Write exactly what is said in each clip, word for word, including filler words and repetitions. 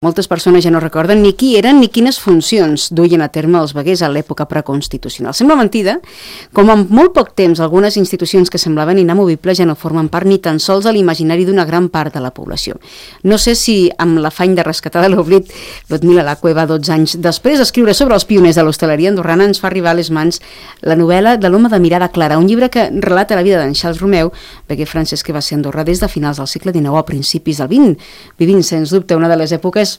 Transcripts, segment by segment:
Moltes persones ja no recorden ni qui eren ni quines funcions duien a terme els veguers a l'època preconstitucional. Sembla mentida, com en molt poc temps algunes institucions que semblaven inamovibles ja no formen part ni tan sols a l'imaginari d'una gran part de la població. No sé si amb l'afany de rescatar de l'oblit, Ludmila Lacueva, dotze anys després d'escriure sobre els pioners de l'hostaleria andorrana, ens fa arribar a les mans la novel·la de l'home de mirada clara, un llibre que relata la vida d'en Charles Romeu, veguer francès que va ser a Andorra des de finals del segle dinou a principis del vint, vivint, sens dubte, una de les èpoques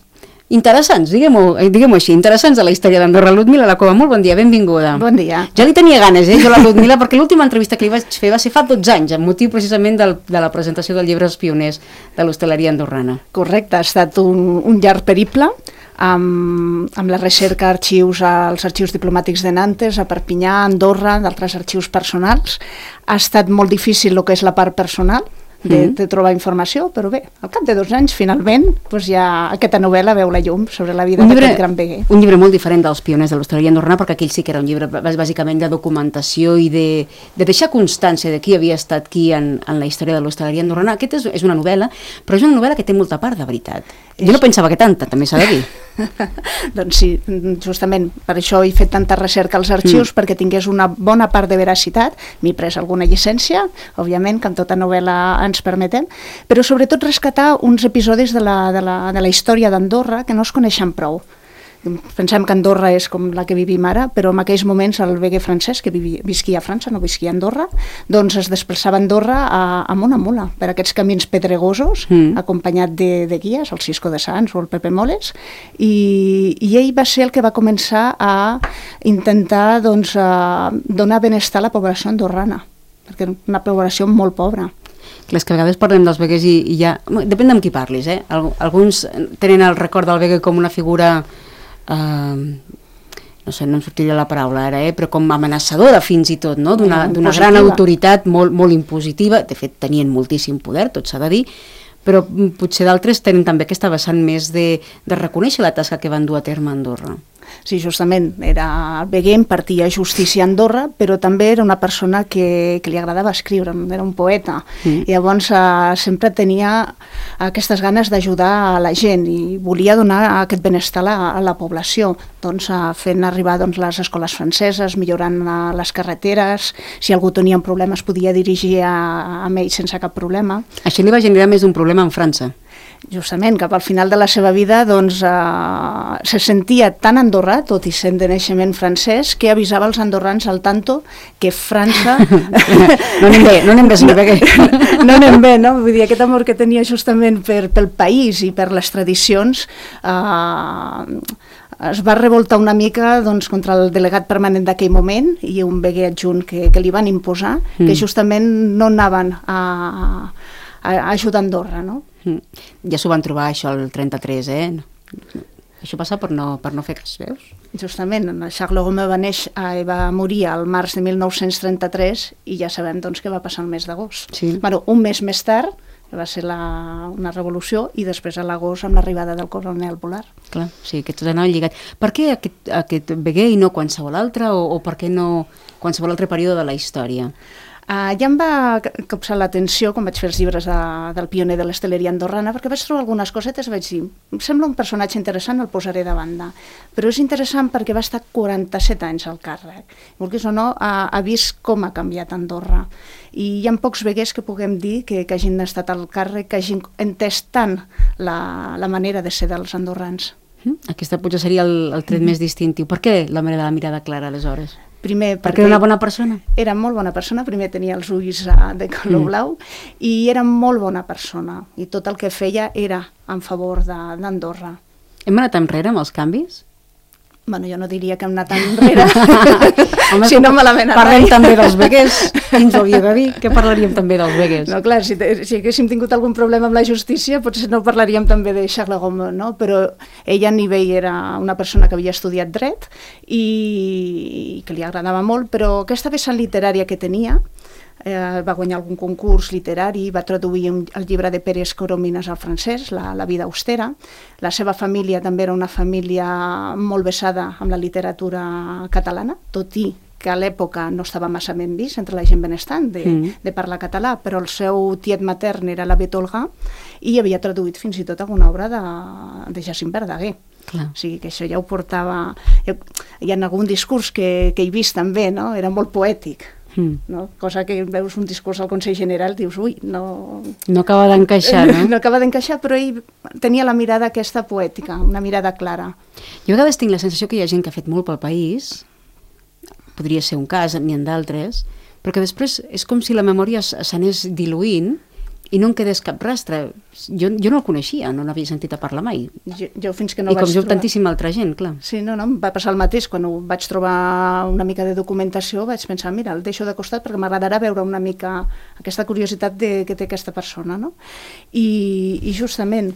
interessants, diguem-ho diguem així, interessants de la història d'Andorra. Ludmila Lacueva, molt bon dia, benvinguda. Bon dia. Ja li tenia ganes, eh, jo la Ludmila, perquè l'última entrevista que li vaig fer va ser fa dotze anys, amb motiu precisament del, de la presentació del llibre Els pioners de l'hostaleria andorrana. Correcte, ha estat un, un llarg periple amb, amb la recerca d'arxius als arxius diplomàtics de Nantes, a Perpinyà, a Andorra, d'altres arxius personals. Ha estat molt difícil el que és la part personal, De, de trobar informació, però bé, al cap de dos anys, finalment, doncs ja aquesta novel·la veu la llum sobre la vida d'aquest gran veguer. Un llibre molt diferent dels pioners de l'hostaleria andorrana, perquè aquell sí que era un llibre bàsicament de documentació i de, de deixar constància de qui havia estat qui en, en la història de l'hostaleria andorrana. Aquest és, és una novel·la, però és una novel·la que té molta part de veritat. Jo no pensava que tanta, també s'ha de dir. Doncs sí, justament per això he fet tanta recerca als arxius, mm. perquè tingués una bona part de veracitat. M'he pres alguna llicència, òbviament, que en tota novel·la ens permetem, però sobretot rescatar uns episodis de la, de la, de la història d'Andorra que no es coneixen prou. Pensem que Andorra és com la que vivim ara, però en aquells moments el veguer francès, que vivi, visquia a França, no visquia a Andorra, doncs es desplaçava a Andorra a, amb una mula, per aquests camins pedregosos, mm. acompanyat de, de guies, el Cisco de Sants o el Pepe Moles, i, i ell va ser el que va començar a intentar doncs, a donar benestar a la població andorrana, perquè era una població molt pobra. És que a vegades parlem dels veguers i, i ja... Depèn d'amb qui parlis, eh? Alguns tenen el record del veguer com una figura... Uh, no sé, no em sortiria la paraula ara, eh? Però com amenaçadora fins i tot, no? D'una d'una gran autoritat molt, molt impositiva. De fet, tenien moltíssim poder, tot s'ha de dir, però potser d'altres tenen també aquesta vessant més de, de reconèixer la tasca que van dur a terme a Andorra. Sí, justament, era el veguer, impartia justícia a Andorra, però també era una persona que, que li agradava escriure, era un poeta, mm. i llavors eh, sempre tenia aquestes ganes d'ajudar a la gent i volia donar aquest benestar a la, a la població, doncs eh, fent arribar doncs, les escoles franceses, millorant eh, les carreteres, si algú tenia un problema es podia dirigir a, a ell sense cap problema. Això li va generar més d'un problema en França. Justament, cap al final de la seva vida doncs, eh, se sentia tan andorrà, tot i sent de naixement francès, que avisava els andorrans al tanto que França... no anem bé, no anem bé, senyor Veguer. No anem bé, no? Vull dir, aquest amor que tenia justament per, pel país i per les tradicions eh, es va revoltar una mica doncs, contra el delegat permanent d'aquell moment i un veguer adjunt que, que li van imposar, mm. que justament no anaven a, a ajudar Andorra, no? Ja s'ho van trobar, això, el trenta-tres, eh? Això passa per no, per no fer cas, veus? Justament, Charles Romeu va néixer i va morir al març de mil nou-cents trenta-tres i ja sabem doncs, què va passar el mes d'agost. Sí. Bueno, un mes més tard va ser la, una revolució i després a l'agost amb l'arribada del coronel Volar. Clar, sí, que tot anava lligat. Per què aquest, aquest veguer i no qualsevol altre o, o per què no qualsevol altre període de la història? Uh, ja em va capçar l'atenció quan vaig fer els llibres de, del pioner de l'hostaleria andorrana, perquè vaig trobar algunes cosetes i vaig dir, em sembla un personatge interessant, el posaré de banda, però és interessant perquè va estar quaranta-set anys al càrrec, vulguis o no, ha, ha vist com ha canviat Andorra, i hi ha pocs veguers que puguem dir que, que hagin estat al càrrec, que hagin entès tant la, la manera de ser dels andorrans. Aquesta potser seria el, el tret mm-hmm. més distintiu. Per què la manera de la mirada clara, aleshores? Primer, perquè era una bona persona? Era molt bona persona, primer tenia els ulls de color blau mm. i era molt bona persona i tot el que feia era en favor d'Andorra. Hem anat enrere amb els canvis? Bueno, jo no diria que hem anat enrere, home, si no malament parlem també dels veguers, qui ens ho havia de dir? Què parlaríem també dels veguers? No, clar, si, si haguéssim tingut algun problema amb la justícia, potser no parlaríem també de Charles Romeu, no? Però ella a nivell era una persona que havia estudiat dret i, i que li agradava molt, però aquesta vessant literària que tenia, Eh, va guanyar algun concurs literari, va traduir un, el llibre de Pérez Coromines al francès, la, la vida austera. La seva família també era una família molt vessada amb la literatura catalana, tot i que a l'època no estava massa ben vist entre la gent benestant de, mm. de parlar català, però el seu tiet matern era l'avet Olga i havia traduït fins i tot alguna obra de, de Jacint Verdaguer. Clar. O sigui que això ja ho portava... Hi ha algun discurs que, que he vist també, no? Era molt poètic. Mm. No? Cosa que veus un discurs al Consell General, dius, ui, no... No acaba d'encaixar, no? No acaba d'encaixar, però ell tenia la mirada aquesta poètica, una mirada clara. Jo a vegades tinc la sensació que hi ha gent que ha fet molt pel país, podria ser un cas, n'hi ha d'altres, però que després és com si la memòria s'anés diluint i no en quedés cap rastre. Jo, jo no el coneixia, no n'havia sentit a parlar mai. Jo, jo fins que no I com vaig jo trobar... tantíssima altra gent, clar. Sí, no, no, em va passar el mateix. Quan ho vaig trobar una mica de documentació vaig pensar, mira, el deixo de costat perquè m'agradarà veure una mica aquesta curiositat de, que té aquesta persona, no? I, i justament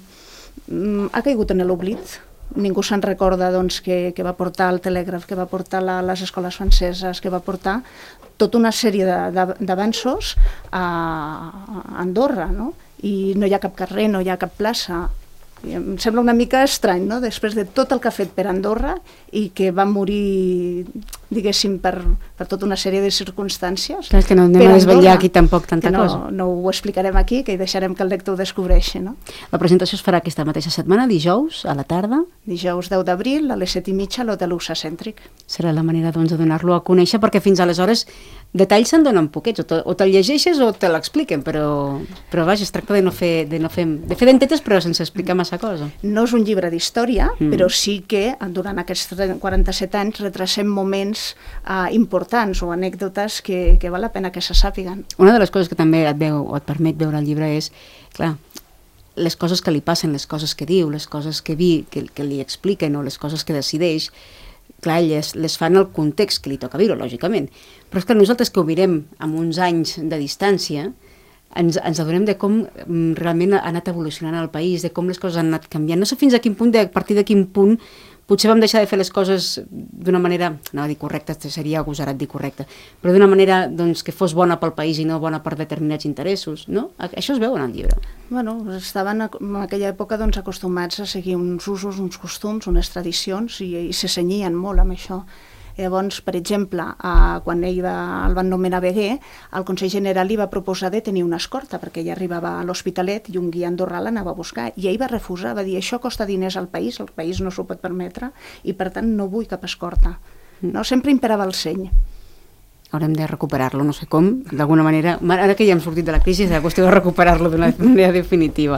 ha caigut en l'oblit. Ningú se'n recorda doncs, que, que va portar el telègraf, que va portar la, les escoles franceses, que va portar tota una sèrie d'avanços a, a Andorra, no? I no hi ha cap carrer, no hi ha cap plaça. I em sembla una mica estrany, no? Després de tot el que ha fet per Andorra i que va morir, diguéssim, per, per tota una sèrie de circumstàncies. Clar, és que no anem a desvetllar aquí tampoc tanta no, cosa. No ho explicarem aquí, que deixarem que el lector ho descobreixi, no? La presentació es farà aquesta mateixa setmana, dijous, a la tarda. Dijous deu d'abril, a les set i mitja, a l'Hotel Usa Cèntric. Serà la manera doncs, de donar-lo a conèixer, perquè fins aleshores detalls se'n donen poquets, o, te, o te'l llegeixes o te l'expliquen, però, però vaja, es tracta de no fer, de no fer, de fer dentetes però sense explicar massa cosa. No és un llibre d'història, mm. però sí que durant aquests quaranta-set anys retracem moments uh, importants o anècdotes que, que val la pena que se sàpiguen. Una de les coses que també et veu o et permet veure el llibre és, clar, les coses que li passen, les coses que diu, les coses que, vi, que, que li expliquen o les coses que decideix, clar, elles les fan el context que li toca viure, lògicament. Però és que nosaltres que ho mirem amb uns anys de distància, ens, ens adonem de com realment ha anat evolucionant el país, de com les coses han anat canviant. No sé fins a quin punt, de, a partir de quin punt, potser vam deixar de fer les coses d'una manera, no a dir correcta, seria agosarat dir correcta, però d'una manera doncs, que fos bona pel país i no bona per determinats interessos, no? Això es veu en el llibre. Bueno, estaven en aquella època doncs, acostumats a seguir uns usos, uns costums, unes tradicions i, i se cenyien molt amb això. Llavors, per exemple, eh, quan ell va, el van nomenar veguer, el Consell General li va proposar de tenir una escorta, perquè ell arribava a l'Hospitalet i un guia andorrà l'anava a buscar, i ell va refusar, va dir, això costa diners al país, el país no s'ho pot permetre, i per tant no vull cap escorta. No? Sempre imperava el seny. Haurem de recuperar-lo, no sé com, d'alguna manera. Ara que ja hem sortit de la crisi, és la qüestió de recuperar-lo d'una manera definitiva.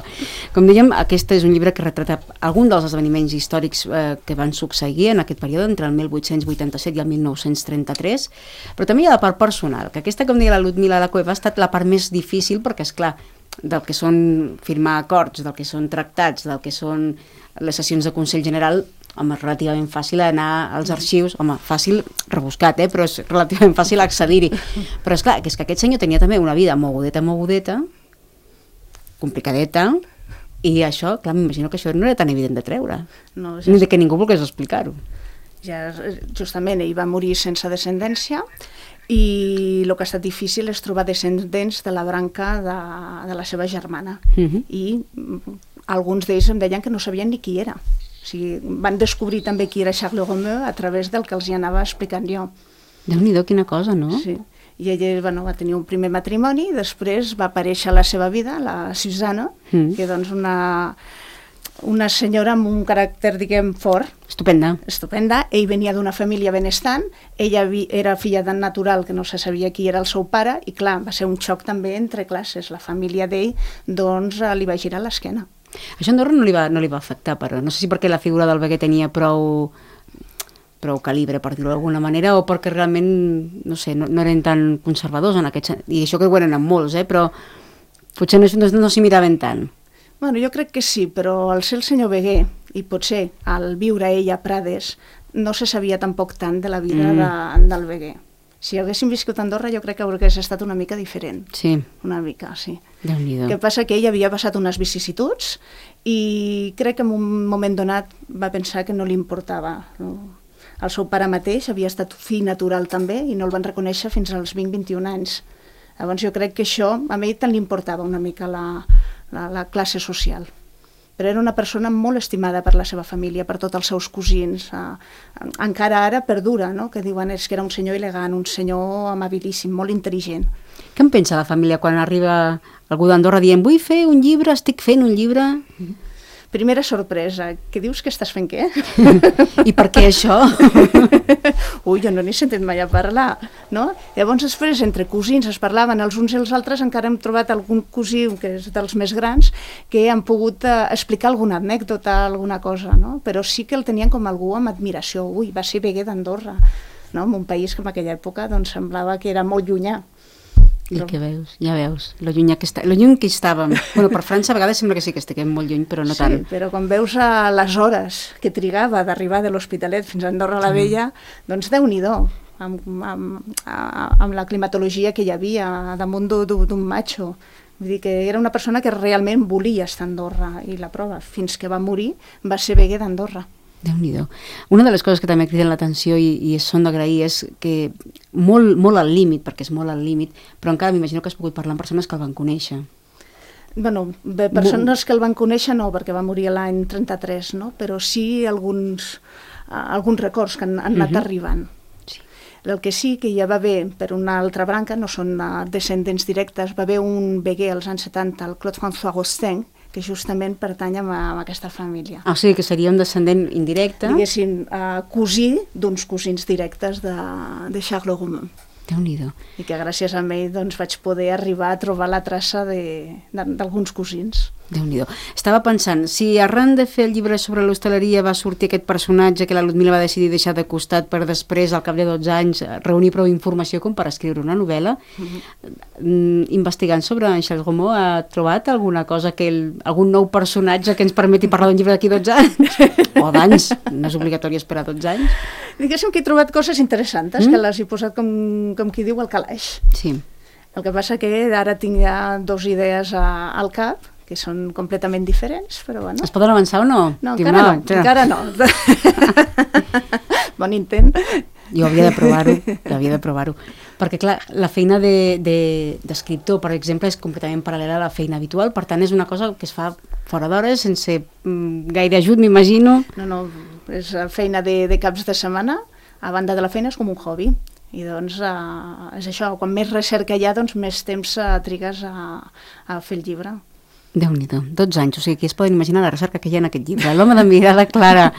Com dèiem, aquest és un llibre que retrata algun dels esdeveniments històrics eh, que van succeir en aquest període, entre el mil vuit-cents vuitanta-set i el mil nou-cents trenta-tres, però també hi ha la part personal, que aquesta, com deia la Ludmila La Cueva, ha estat la part més difícil, perquè, és clar, del que són firmar acords, del que són tractats, del que són les sessions de Consell General, home, és relativament fàcil anar als arxius, home, fàcil rebuscat, eh? Però és relativament fàcil accedir-hi. Però és clar, que és que aquest senyor tenia també una vida mogudeta, mogudeta, complicadeta, i això, clar, m'imagino que això no era tan evident de treure, no, ja ni de que ningú volgués explicar-ho. Ja, justament, ell va morir sense descendència, i el que ha estat difícil és trobar descendents de la branca de, de la seva germana. Uh-huh. I alguns d'ells em deien que no sabien ni qui era. O sigui, van descobrir també qui era Charles Romeu a través del que els hi anava explicant jo. Déu-n'hi-do, quina cosa, no? Sí. I ella bueno, va tenir un primer matrimoni, després va aparèixer la seva vida, la Susana, mm. que doncs una, una senyora amb un caràcter, diguem, fort. Estupenda. Estupenda. Ell venia d'una família benestant, ella era filla tan natural que no se sabia qui era el seu pare, i clar, va ser un xoc també entre classes. La família d'ell, doncs, li va girar l'esquena. Això a Andorra no li va, no li va afectar, però no sé si perquè la figura del veguer tenia prou, prou calibre, per dir-ho d'alguna manera, o perquè realment, no sé, no, no eren tan conservadors en aquest sentit. I això que ho eren amb molts, eh? Però potser no, no, no s'hi miraven tant. Bueno, jo crec que sí, però al ser el senyor veguer, i potser al viure ell a Prades, no se sabia tampoc tant de la vida mm. de, del veguer. Si haguéssim viscut a Andorra jo crec que hauria estat una mica diferent. Sí. Una mica, sí. Déu-n'hi-do. El que passa que ell havia passat unes vicissituds i crec que en un moment donat va pensar que no li importava. El seu pare mateix havia estat fill natural també i no el van reconèixer fins als vint a vint-i-un anys. Llavors jo crec que això a ell tant li importava una mica la, la, la classe social. però era una persona molt estimada per la seva família, per tots els seus cosins. Eh, encara ara perdura, no? Que diuen és que era un senyor elegant, un senyor amabilíssim, molt intel·ligent. Què en pensa la família quan arriba algú d'Andorra dient vull fer un llibre, estic fent un llibre? Primera sorpresa, què dius que estàs fent què? I per què això? Ui, jo no n'he sentit mai a parlar, no? Llavors després entre cosins es parlaven els uns i els altres, encara hem trobat algun cosí, que és dels més grans, que han pogut eh, explicar alguna anècdota, alguna cosa, no? Però sí que el tenien com algú amb admiració. Ui, va ser veguer d'Andorra, no? En un país que en aquella època doncs, semblava que era molt llunyà. I què veus? Ja veus, lo lluny que, està, lo lluny que estàvem. Bueno, per França a vegades sembla que sí que estiguem molt lluny, però no sí, tant. Sí, però quan veus a les hores que trigava d'arribar de l'Hospitalet fins a Andorra la Vella, mm. doncs Déu-n'hi-do, amb, amb, amb la climatologia que hi havia damunt d'un matxo. Vull dir que era una persona que realment volia estar a Andorra, i la prova, fins que va morir, va ser veguer d'Andorra. Déu-n'hi-do. Una de les coses que també criden l'atenció i, i són d'agrair és que molt, molt al límit, perquè és molt al límit, però encara m'imagino que has pogut parlar amb persones que el van conèixer. Bueno, bé, persones que el van conèixer no, perquè va morir l'any trenta-tres, no? Però sí alguns, uh, alguns records que han, han anat uh-huh. arribant. Sí. El que sí que ja va haver, per una altra branca, no són uh, descendents directes, va haver un veguer als anys setanta, el Claude François Rostaing, que justament pertany a, a aquesta família. Ah, o sigui que seria un descendent indirecte? Diguéssim, uh, cosí d'uns cosins directes de, de Charles Romain. Déu-n'hi-do. I que gràcies a ell doncs, vaig poder arribar a trobar la traça d'alguns cosins. Déu-n'hi-do. Estava pensant, si arran de fer el llibre sobre l'hostaleria va sortir aquest personatge que la Ludmila va decidir deixar de costat per després, al cap de dotze anys, reunir prou informació com per escriure una novel·la, mm-hmm. investigant sobre en Charles Romain, ha trobat alguna cosa, que el, algun nou personatge que ens permeti parlar d'un llibre d'aquí dotze anys? O d'anys? No és obligatori esperar dotze anys? Diguéssim que he trobat coses interessants, mm? que les he posat com, com qui diu al calaix. Sí. El que passa que ara tinc ja dos idees a, al cap, que són completament diferents, però bueno. Es poden avançar o no? No, encara no, no, encara no. Bon intent. Jo havia de provar-ho, havia de provar-ho. Perquè, clar, la feina d'escriptor, de, de, per exemple, és completament paral·lela a la feina habitual, per tant, és una cosa que es fa fora d'hores, sense mm, gaire ajut, m'imagino. No, no, és feina de, de caps de setmana, a banda de la feina és com un hobby. I doncs eh, és això, quan més recerca hi ha, doncs més temps eh, trigues a, a fer el llibre. Déu-n'hi-do, dotze anys, o sigui, qui es poden imaginar la recerca que hi ha en aquest llibre. L'home de mirada clara,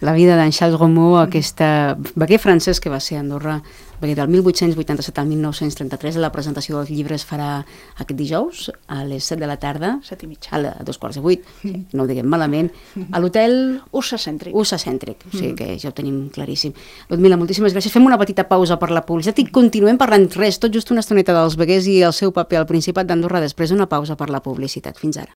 la vida d'en Charles Romain, aquesta veguer francès que va ser a Andorra, veguer del mil vuit-cents vuitanta-set al mil nou-cents trenta-tres. La presentació del llibre es farà aquest dijous a les set de la tarda, set i mitja, a, la, a dos quarts de vuit, no ho diguem malament, a l'hotel Ursa Cèntric. Ursa Cèntric, o sigui que ja ho tenim claríssim. Ludmila, moltíssimes gràcies. Fem una petita pausa per la publicitat i continuem parlant res, tot just una estoneta dels veguers i el seu paper al Principat d'Andorra després d'una pausa per la publicitat. Fins ara.